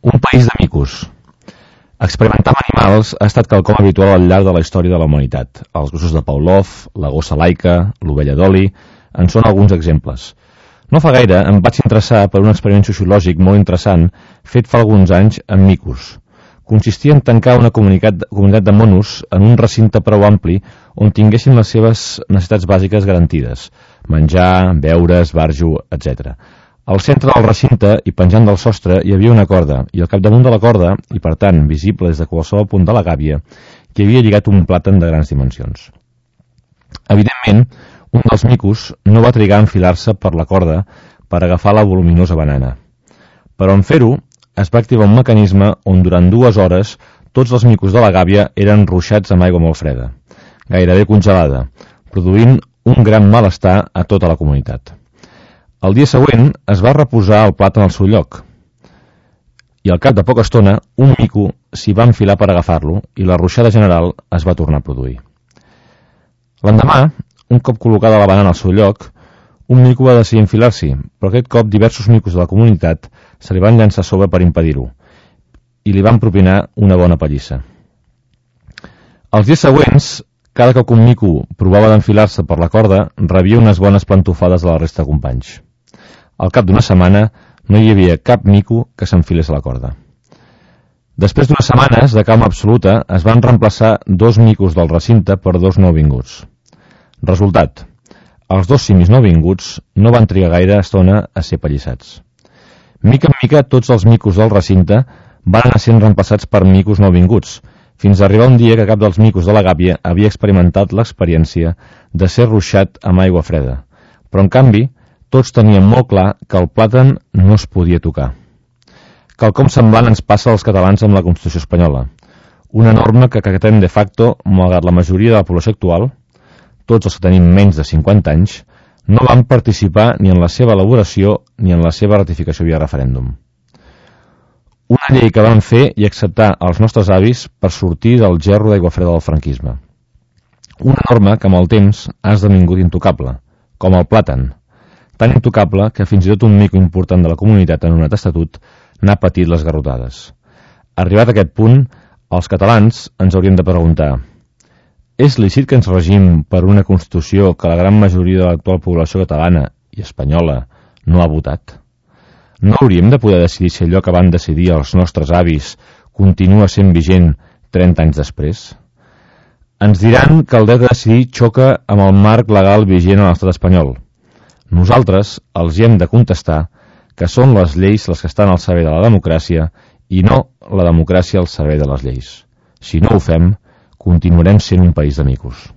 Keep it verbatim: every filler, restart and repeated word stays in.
Un país de micos. Experimentar amb animals ha estat quelcom habitual al llarg de la història de la humanitat. Els gossos de Pavlov, la gossa laica, l'ovella d'oli, en són alguns exemples. No fa gaire em vaig interessar per un experiment sociològic molt interessant fet fa alguns anys amb micos. Consistia en tancar una comunitat, comunitat de monos en un recinte prou ampli on tinguessin les seves necessitats bàsiques garantides: menjar, beure, esbarjo, etcètera. Al centre del recinte i penjant del sostre hi havia una corda, i al capdamunt de la corda, i per tant visible des de qualsevol punt de la gàbia, hi havia lligat un plàtan de grans dimensions. Evidentment, un dels micos no va trigar a enfilar-se per la corda per agafar la voluminosa banana. Però en fer-ho, es va activar un mecanisme on durant dues hores tots els micos de la gàbia eren ruixats amb aigua molt freda, gairebé congelada, produint un gran malestar a tota la comunitat. El dia següent es va reposar el plat en el seu lloc i al cap de poca estona un mico s'hi va enfilar per agafar-lo i la ruixada general es va tornar a produir. L'endemà, un cop col·locada la banana al seu lloc, un mico va decidir enfilar-s'hi, però aquest cop diversos micos de la comunitat se li van llançar a sobre per impedir-ho i li van propinar una bona pallissa. Els dies següents, cada cop que un mico provava d'enfilar-se per la corda, rebia unes bones plantofades de la resta de companys. Al cap d'una setmana no hi havia cap mico que s'enfilés a la corda. Després d'unes setmanes de calma absoluta es van reemplaçar dos micos del recinte per dos nouvinguts. Resultat: els dos simis nouvinguts no van trigar gaire estona a ser pallissats. Mica en mica tots els micos del recinte van anar sent reemplaçats per micos nouvinguts, fins a arribar un dia que cap dels micos de la gàbia havia experimentat l'experiència de ser ruixat amb aigua freda, però en canvi tots tenien molt clar que el plàtan no es podia tocar. Quelcom semblant ens passa als catalans amb la Constitució espanyola, una norma que acatem de facto, malgrat la majoria de la població actual, tots els que tenim menys de cinquanta anys, no van participar ni en la seva elaboració ni en la seva ratificació via referèndum. Una llei que van fer i acceptar els nostres avis per sortir del gerro d'aigua freda del franquisme. Una norma que amb el temps ha esdevingut intocable, com el plàtan, tan intocable que fins i tot un mico important de la comunitat en un estatut n'ha patit les garrotades. Arribat a aquest punt, els catalans ens hauríem de preguntar: és lícit que ens regim per una Constitució que la gran majoria de l'actual població catalana i espanyola no ha votat? No hauríem de poder decidir si allò que van decidir els nostres avis continua sent vigent trenta anys després? Ens diran que el dret a decidir xoca amb el marc legal vigent a l'estat espanyol. Nosaltres els hi hem de contestar que són les lleis les que estan al servei de la democràcia i no la democràcia al servei de les lleis. Si no ho fem, continuarem sent un país de micos.